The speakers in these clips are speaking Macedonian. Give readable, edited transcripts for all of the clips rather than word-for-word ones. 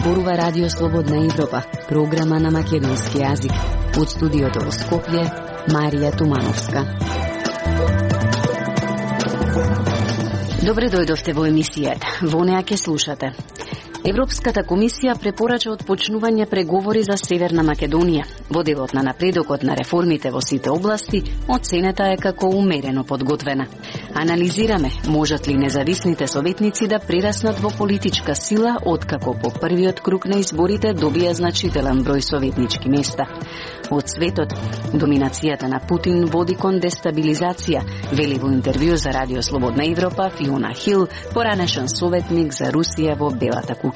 зборува Радио Слободна Европа, програма на македонски јазик. Од студиото во Скопје, Марија Тумановска. Добре дојдовте во емисијата. Во неа ќе слушате. Европската комисија препорача отпочнување преговори за Северна Македонија. Во делот на напредокот на реформите во сите области, оценета е како умерено подготвена. Анализираме, можат ли независните советници да прераснат во политичка сила откако по првиот круг на изборите добија значителен број советнички места. Од светот, доминацијата на Путин води кон дестабилизација, вели во интервју за Радио Слободна Европа Фиона Хил, поранешен советник за Русија во Белата куќа.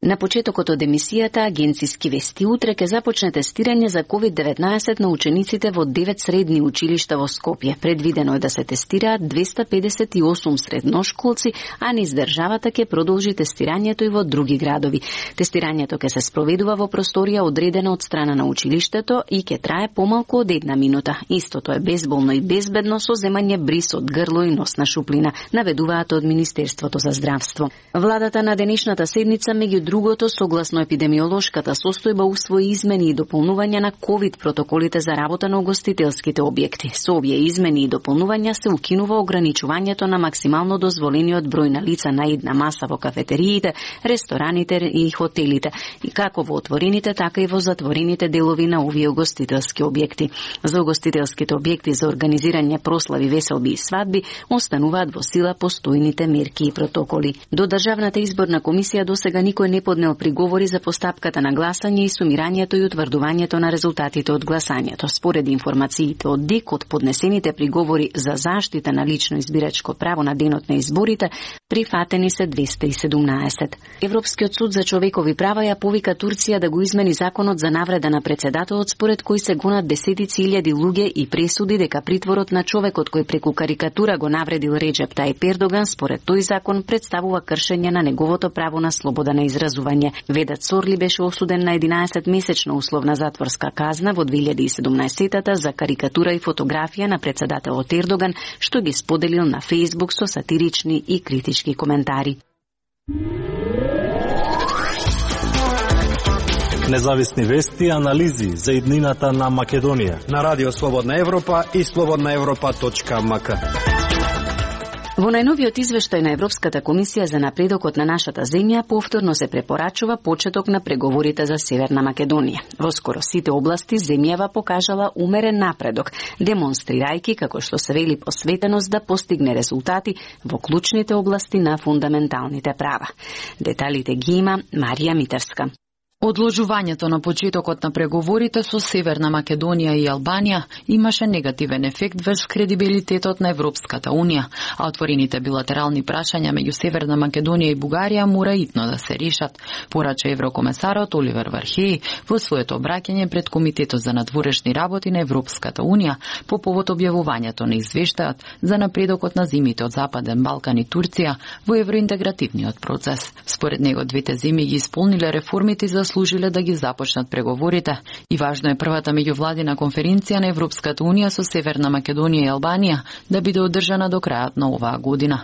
На почетокот од емисијата Агенциски вести утре ќе започне тестирање за COVID-19 на учениците во 9 средни училишта во Скопје. Предвидено е да се тестираат 258 средношколци, а низ државата ќе продолжи тестирањето и во други градови. Тестирањето ќе се спроведува во просторија одредена од страна на училиштето и ќе трае помалку од 1 минута. Истото е безболно и безбедно со земање бриз од грло и носна шуплина, наведуваат од Министерството за здравство. Владата на денешната седница меѓу другото, согласно епидемиолошката состојба, усвои измени и дополнувања на ковид протоколите за работа на угостителските објекти. Со овие измени и дополнувања се укинува ограничувањето на максимално дозволениот број на лица на една маса во кафетериите, рестораните и хотелите, и како во отворените, така и во затворените делови на овие угостителски објекти. За угостителските објекти за организирање прослави, веселби и свадби остануваат во сила постојните мерки и протоколи. До Државната изборна комисија досега никој не поднел приговори за постапката на гласање и сумирањето и утврдувањето на резултатите од гласањето. Според информациите од ДИК, од поднесените приговори за заштита на лично избирачко право на денот на изборите, прифатени се 217. Европскиот суд за човекови права ја повика Турција да го измени законот за навреда на председателот, според кој се гонат десетици илјади луѓе и пресуди дека притворот на човекот кој преку карикатура го навредил Реджеп Тајип Ердоган, според тој закон представува кршење на неговото право на слобода на изразување. Ведат Сорли беше осуден на 11-месечна условна затворска казна во 2017-та за карикатура и фотографија на председателот Ердоган, што ги споделил на Фејсбук со сатирични и критички коментари. Независни вести и анализи за иднината на Македонија на Радио Слободна Европа и slobodnaevropa.mk. Во најновиот извештај на Европската комисија за напредокот на нашата земја повторно се препорачува почеток на преговорите за Северна Македонија. Во скоро сите области земјава покажала умерен напредок, демонстрирајќи, како што се вели, посветеност да постигне резултати во клучните области на фундаменталните права. Деталите ги има Марија Митарска. Одложувањето на почетокот на преговорите со Северна Македонија и Албанија имаше негативен ефект врз кредибилитетот на Европската Унија, а отворените билатерални прашања меѓу Северна Македонија и Бугарија мора итно да се решат, порача еврокомесарот Оливер Вархеј во своето обраќање пред Комитетот за надворешни работи на Европската Унија по повод објавувањето на извештајот за напредокот на земјите од Западен Балкан и Турција во евроинтегративниот процес. Според него двете земји ги исполниле реформите за служиле да ги започнат преговорите и важно е првата меѓувладина конференција на Европската Унија со Северна Македонија и Албанија да биде одржана до крајот на оваа година.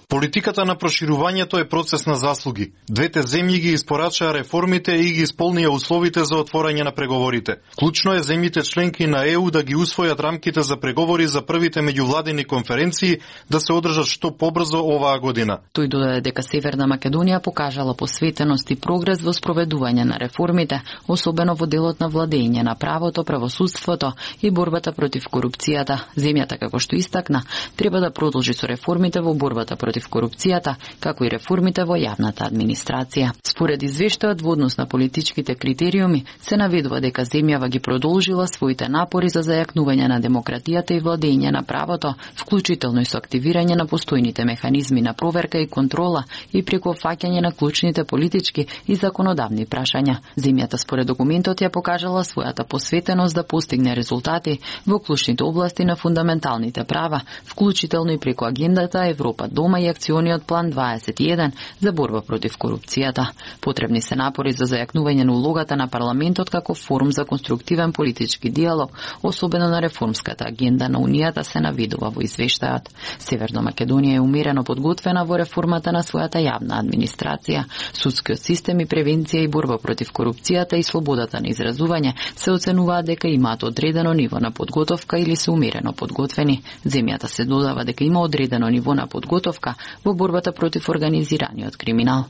Политиката на проширувањето е процес на заслуги. Двете земји ги испорачаа реформите и ги исполнија условите за отворање на преговорите. Клучно е земјите членки на ЕУ да ги усвојат рамките за преговори за првите меѓувладини конференции да се одржат што побрзо оваа година. Тој додаде дека Северна Македонија покажала посветеност и прогрес во спроведување на реформите, особено во делот на владење на правото, правосудството и борбата против корупцијата. Земјата, како што истакна, треба да продолжи со реформите во борбата против корупцијата, како и реформите во јавната администрација. Според извештајот во однос на политичките критериуми, се наведува дека земјава ги продолжила своите напори за зајакнување на демократијата и владење на правото, вклучително и со активирање на постојните механизми на проверка и контрола и преку фаќање решавање на клучните политички и законодавни прашања. Земјата според документот ја покажала својата посветеност да постигне резултати во клучните области на фундаменталните права, вклучително и преку агендата Европа дома и акциониот план 21 за борба против корупцијата. Потребни се напори за зајакнување на улогата на парламентот како форум за конструктивен политички диалог, особено на реформската агенда на Унијата, се наведува во извештајот. Северна Македонија е умерено подготвена во реформата на својата јавна администрација. Судскиот систем и превенција и борба против корупцијата и слободата на изразување се оценуваат дека имаат одредено ниво на подготовка или се умерено подготвени. Земјата се додава дека има одредено ниво на подготовка во борбата против организираниот криминал.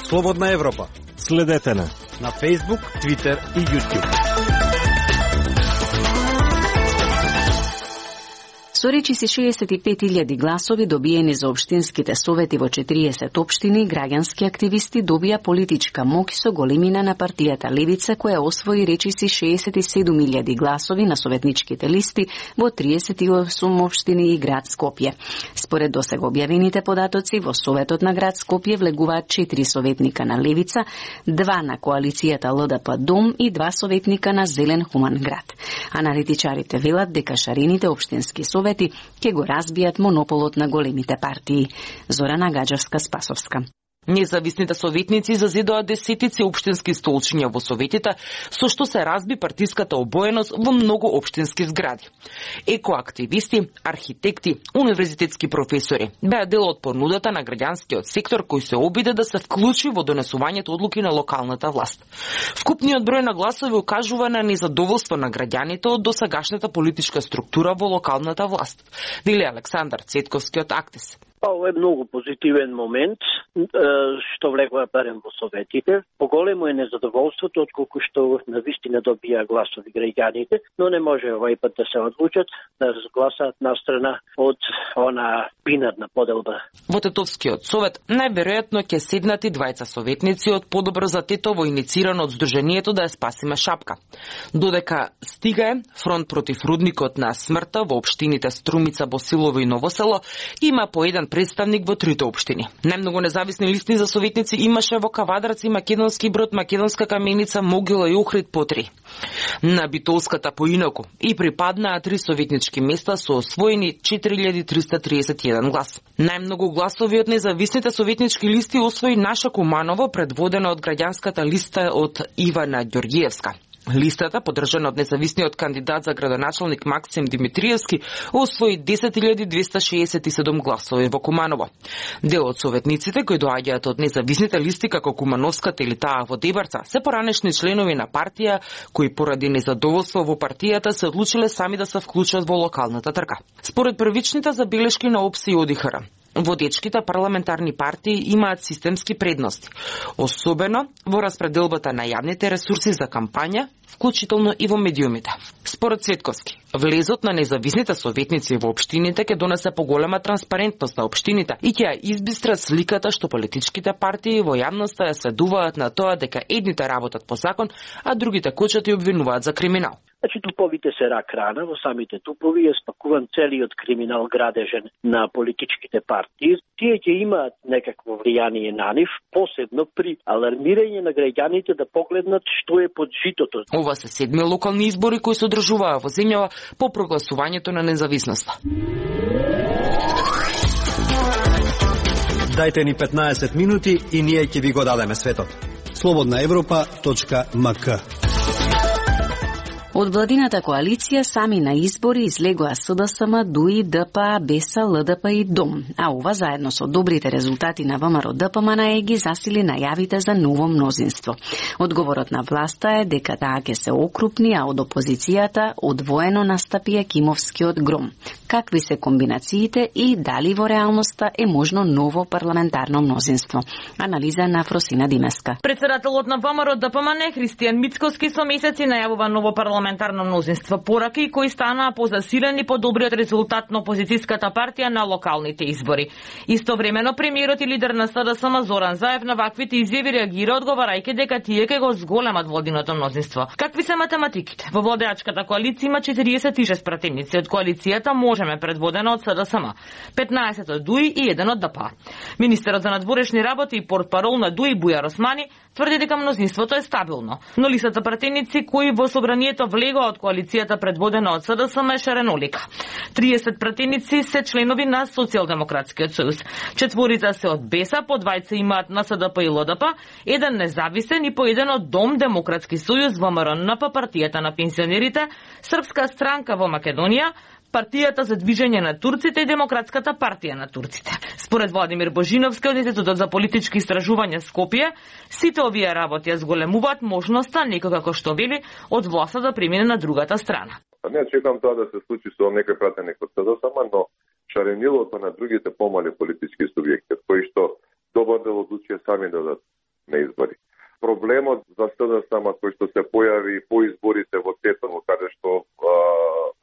Слободна Европа. Следете на Facebook, Twitter и YouTube. Со речиси 65.000 гласови добиени за општинските совети во 40 општини, граѓански активисти добија политичка моќ со големина на партијата Левица, која освои речиси 67.000 гласови на советничките листи во 38 општини и град Скопје. Според досега објавените податоци, во Советот на град Скопје влегуваат 4 советника на Левица, 2 на коалицијата ЛДП Дом и 2 советника на Зелен хуман град. Аналитичарите велат дека шарените општински совети ќе го разбијат монополот на големите партии. Зорана Гаџевска-Спасовска. Независните советници зазидоа десетици општински столчиња во советите, со што се разби партиската обоеност во многу општински згради. Екоактивисти, архитекти, универзитетски професори беа дел од понудата на граѓанскиот сектор кој се обиде да се вклучи во донесувањето одлуки на локалната власт. Вкупниот број на гласови укажува на незадоволство на граѓаните од досегашната политичка структура во локалната власт, вели Александар Цетковски од Актис. Ова е многу позитивен момент што влегува барем во советите. Поголемо е незадоволството отколку што навистина добија гласови граѓаните, но не може овој пат да се одлучат да разгласаат настрана од она бинарна поделба. Во Тетовскиот совет најверојатно ќе седнат и двајца советници од Подобро за Тетово, иницирано од Сдруженијето Да ја спасиме Шапка. Додека стига е фронт против рудникот на смртта во општините Струмица, Босилово и Новосело, има по еден представник во трите општини. Најмногу независни листи за советници имаше во Кавадарци, Македонски Брод, Македонска Каменица, Могила и Охрид по 3. На Битолската поинаку и припаднаа 3 советнички места со освоени 4331 глас. Најмногу гласови од независните советнички листи освои Наша Куманово, предводена од граѓанската листа од Ивана Ѓоргиевска. Листата, поддржана од независниот кандидат за градоначалник Максим Димитриевски, освои 10.267 гласови во Куманово. Дел од советниците кои доаѓаат од независните листи како Кумановската или таа во Дебарца се поранешни членови на партија кои поради незадоволство во партијата се одлучиле сами да се вклучат во локалната трка. Според првичните забелешки на ОПС и ОДИХР, водечките парламентарни партии имаат системски предности, особено во распределбата на јавните ресурси за кампања, вклучително и во медиумите. Според Цветковски, влезот на независните советници во општините ќе донесе поголема транспарентност на општините и ќе ја избистрат сликата што политичките партии во јавноста ја следуваат на тоа дека едните работат по закон, а другите кочат и обвинуваат за криминал. Значи, туповите се рак рана, во самите тупови е спакуван целиот криминал градежен на политичките партии. Тие ќе имаат некакво влијание на нив, посебно при алармирање на граѓаните да погледнат што е под житото. Ова се 7 локални избори кои се одржуваа во земјава по прогласувањето на независноста. Дајте ни 15 минути и ние ќе ви го дадеме светот. slobodnaevropa.mk. Од владината коалиција сами на избори излегоа СДСМ, ДУИ, ДПА, БЕСА, ЛДП и ДОМ, а ова заедно со добрите резултати на ВМРО ДПМН ги засили најавите за ново мнозинство. Одговорот на власта е дека таа ќе се окрупни, а од опозицијата одвоено настапи Екимовскиот гром. Какви се комбинациите и дали во реалноста е можно ново парламентарно мнозинство? Анализа на Фросина Димеска. Председателот на ВМРО ДПМН Христијан Мицкоски со месеци најавува ново парламентарно парламентарно мнозинство, пораки кои станаа позасилени по добриот резултат на опозицијската партија на локалните избори. Истовремено премиерот и лидер на СДСМ Зоран Заев на ваквите изјави реагира одговарајќи дека тие ќе го зголемат владиното мнозинство. Какви се математиките? Во владеачката коалиција има 46 пратеници од коалицијата Можеме предводена од СДСМ, 15 од ДУИ и 1 од ДП. Министерот за надворешни работи и портпарол на ДУИ Бујар Османи тврди дека мнозинството е стабилно, но листата пратеници кои во собранието влегоа од коалицијата предводена од СДСМ е шаренолика. 30 пратеници се членови на Социјалдемократскиот сојуз. 4 се од БЕСА, по 2 имаат на СДП и ЛДП, 1 независен и по 1 од Дом Демократски сојуз во МРНП, партијата на пенсионерите, Српска странка во Македонија, Партијата за движење на турците и Демократската партија на турците. Според Владимир Божиновски од Институтот за политички истражувања Скопје, сите овие работи ја зголемуваат можноста некој како што вели од власта да премине на другата страна. Не чекам тоа да се случи со некој пратеник од СДСМ, но шаренилото на другите помали политички субјекти, кои што добар дел одлучија сами да дадат на избори. Проблемот за СДСМ кој што се појави по изборите во Тетово, каде што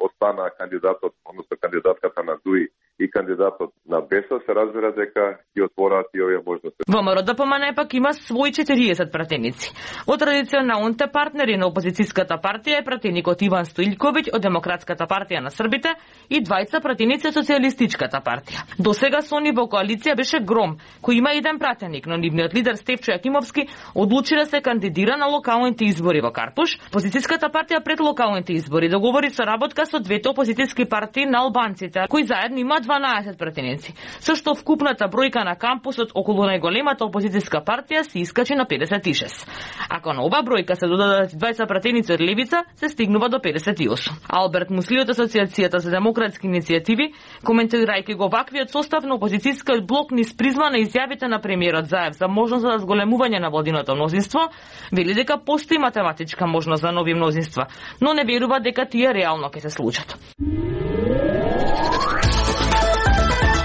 остана кандидатот, односно кандидатката на ДУИ и кандидатот на БЕСА, се разбира дека ќе отвораат и овие можности. ВМРО ДПМН пак има своји 40 пратеници. Од традиционалните партнери на опозицијската партија е пратеникот Иван Стоилковиќ од Демократската партија на србите и 2 пратеници од Социјалистичката партија. До сега со они во коалиција беше Гром, кој има 1 пратеник, но нивниот лидер Стефчо Јакимовски одлучи да се кандидира на локалните избори во Карпуш. Опозицијската партија пред локалните избори договори соработка со двете опозицијски партии на албанците, кои заедно има 12 пратеници, со што вкупната бројка на кампусот околу најголемата опозицијска партија се искачи на 56. Ако на ова бројка се додадат 20 пратеници од левица, се стигнува до 58. Алберт Мусли од Асоциацијата за демократски иницијативи, коментирајќи го ваквиот состав на опозицијскиот блок низ призма на изјавите на премиерот Заев за можност за зголемување на владиното мнозинство, вели дека постои математичка можност за нови мнозинства, но не верува дека тие реално ќе се случат.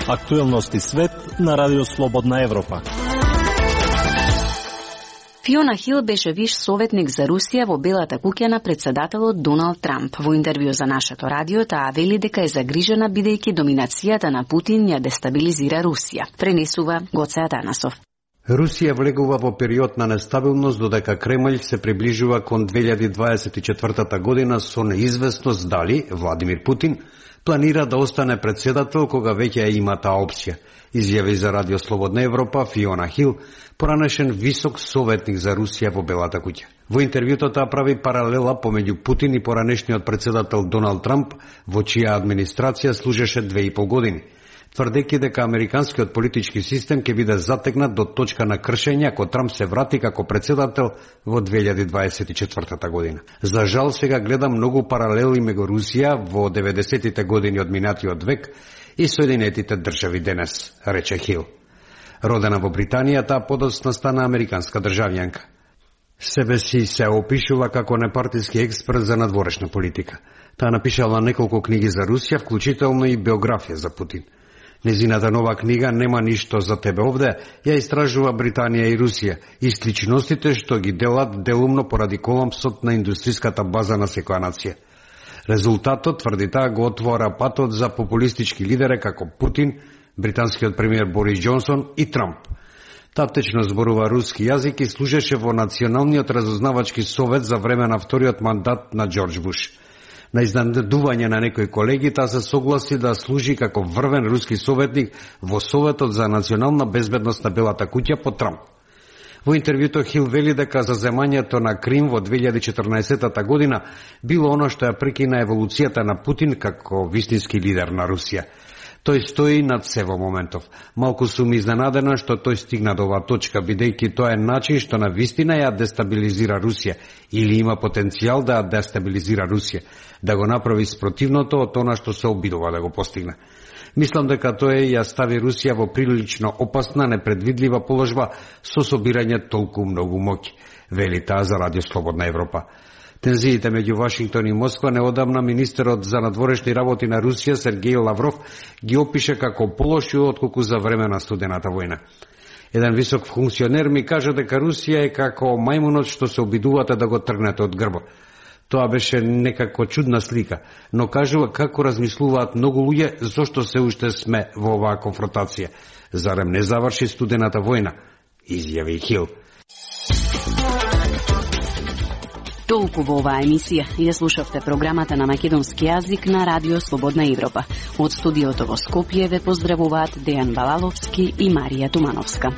Актуелности свет на Радио Слободна Европа. Фиона Хил беше виш советник за Русија во Белата куќа на председателот Доналд Трамп. Во интервју за нашето радио таа вели дека е загрижена бидејќи доминацијата на Путин ја дестабилизира Русија. Пренесува Гоце Атанасов. Русија влегува во период на нестабилност додека Кремљ се приближува кон 2024 година со неизвестност дали Владимир Путин планира да остане председател кога веќе има таа опција, изјави за Радио Слободна Европа Фиона Хил, поранешен висок советник за Русија во Белата куќа. Во интервјуто таа прави паралела помеѓу Путин и поранешниот председател Доналд Трамп, во чија администрација служеше 2,5 години, тврдејќи дека американскиот политички систем ќе биде затегнат до точка на кршење ако Трамп се врати како председател во 2024 година. За жал сега гледам многу паралели меѓу Русија во 90-тите години од минатиот век и Соединетите држави денес, рече Хил. Родена во Британија, таа подоцна стана американска државјанка. Себе си се опишува како непартиски експерт за надворешна политика. Таа напишала неколку книги за Русија, вклучително и биографија за Путин. Незината нова книга "Нема ништо за тебе овде" ја истражува Британија и Русија и сличностите што ги делат делумно поради колапсот на индустријската база на секоја нација. Резултатот, тврди таа, го отвора патот за популистички лидери како Путин, британскиот премиер Борис Џонсон и Трамп. Таптечно зборува руски јазик и служеше во Националниот разузнавачки совет за време на вториот мандат на Џорџ Буш. На изненадување на некои колеги, таа се согласи да служи како врвен руски советник во Советот за национална безбедност на Белата куќа по Трамп. Во интервјуто Хил вели дека заземањето на Крим во 2014 година било оно што ја прекина еволуцијата на Путин како вистински лидер на Русија. Тој стои над се во моментов. Малку сум изненадена што тој стигна до оваа точка, бидејќи тоа е начин што на вистина ја дестабилизира Русија или има потенцијал да ја дестабилизира Русија, да го направи спротивното од она што се обидува да го постигне. Мислам дека тој ја стави Русија во прилично опасна, непредвидлива положба со собирање толку многу моќ, вели таа за Радио Слободна Европа. Тензиите меѓу Вашингтон и Москва неодамна министерот за надворешни работи на Русија Сергеј Лавров ги опише како полоши отколку за време на студената војна. Еден висок функционер ми кажа дека Русија е како мајмунот што се обидувате да го тргнете од грбот. Тоа беше некако чудна слика, но кажува како размислуваат многу луѓе зошто се уште сме во оваа конфронтација. Зарем не заврши студената војна, изјави Хил. Толку во оваа емисија. Ја слушавте програмата на македонски јазик на Радио Слободна Европа. Од студиото во Скопје ве поздравуваат Дејан Балаловски и Марија Тумановска.